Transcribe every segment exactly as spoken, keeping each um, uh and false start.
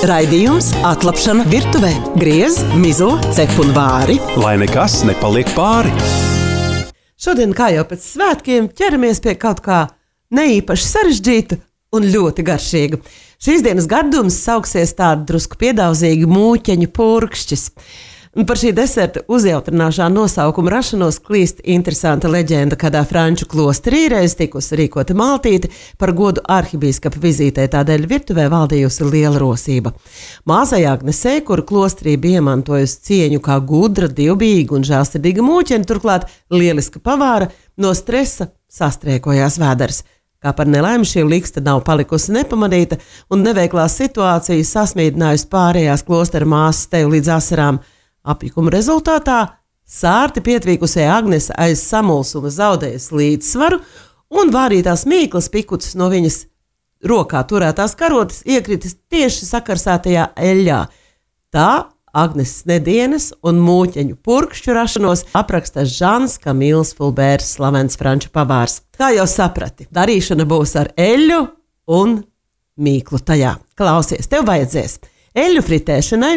Raidījums Atlapšana virtuvē. Griez, mizo, cep un vāri. Lai nekas nepaliek pāri. Šodien, kā jau pēc svētkiem, ķeramies pie kaut kā neīpaši sarežģīta un ļoti garšīga. Šīs dienas gardums sauksies tāda drusku piedauzīga mūķeņu purkšķis. Un par šī deserta uzjautrināšā nosaukuma rašanos klīst interesanta leģenda, kādā franču klosterī reiz tikusi rīkota maltīte par godu arhibīskapa vizītē, tādēļ virtuvē valdījusi liela rosība. Māsai Agnesei, kura klosterī bija iemantojusi cieņu kā gudra, dievbijīga un žēlsirdīga mūķene, turklāt lieliska pavāra, no stresa sastriekojās vēders. Kā par nelaimi šī liksta nav palikusi nepamanīta un neveiklā situācija sasmīdinājusi pārējās klostera māsas teju līdz asarām. Apjukuma rezultātā sārti pietvīkusē Agnese aiz samulsuma zaudējas līdzsvaru un vārītās mīklas pikucis no viņas rokā turētās karotes iekritis tieši sakarsētajā eļļā. Tā Agneses nedienas un mūķeņu purkšķu rašanos apraksta Žans Kamils Fulbērs, slavens franču pavārs. Kā jau saprati, darīšana būs ar eļļu un mīklu tajā. Klausies, tev vajadzēs eļļu fritēšanai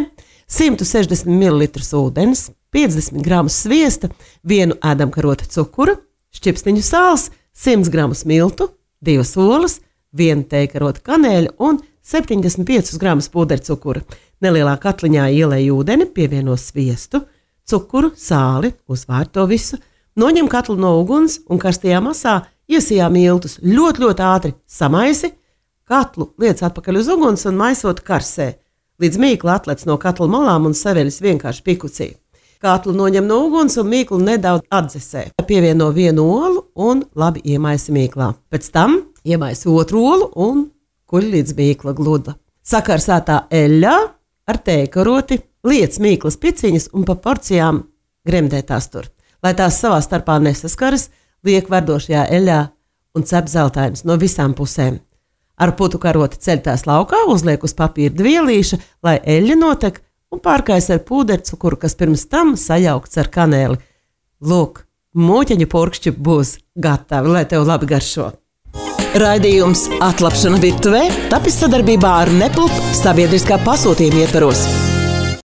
simt sešdesmit mililitrus ūdens, piecdesmit gramus sviesta, vienu ēdamkarota cukura, šķipsniņu sāls, simt gramus miltu, divas olas, vienu tejkarota kanēļa un septiņdesmit piecus gramus pūdercukura. Nelielā katliņā ielej ūdeni, pievieno sviestu, cukuru, sāli, uzvār to visu, noņem katlu no uguns un karstajā masā iesijā miltus, ļoti, ļoti ātri samaisi, katlu liec atpakaļ uz uguns un maisot karsē. Līdz mīkla atlec no katla malām un saveļas vienkārši pikucī. Katlu noņem no uguns un mīklu nedaudz atdzesē. Pievieno vienu olu un labi iemaisi mīklā. Pēc tam iemaisi otru olu un kuļ līdz mīkla gluda. Sakarsētā eļļā ar tejkaroti liec mīklas piciņas un pa porcijām gremdē tās tur. Lai tās savā starpā nesaskaras, liek verdošajā eļļā un cep zeltainas no visām pusēm. Ar putu karoti ceļ tās laukā, uzliek uz papīra dvielīša, lai eļļa notek un pārkais ar pūdercukuru, kas pirms tam sajaukts ar kanēli. Lūk, mūķeņu purkšķi būs gatavi, lai tev labi garšo. Raidījums Atlapšana virtuvē tapis sadarbībā ar Nepulp sabiedriskā pasūtījuma ietvaros.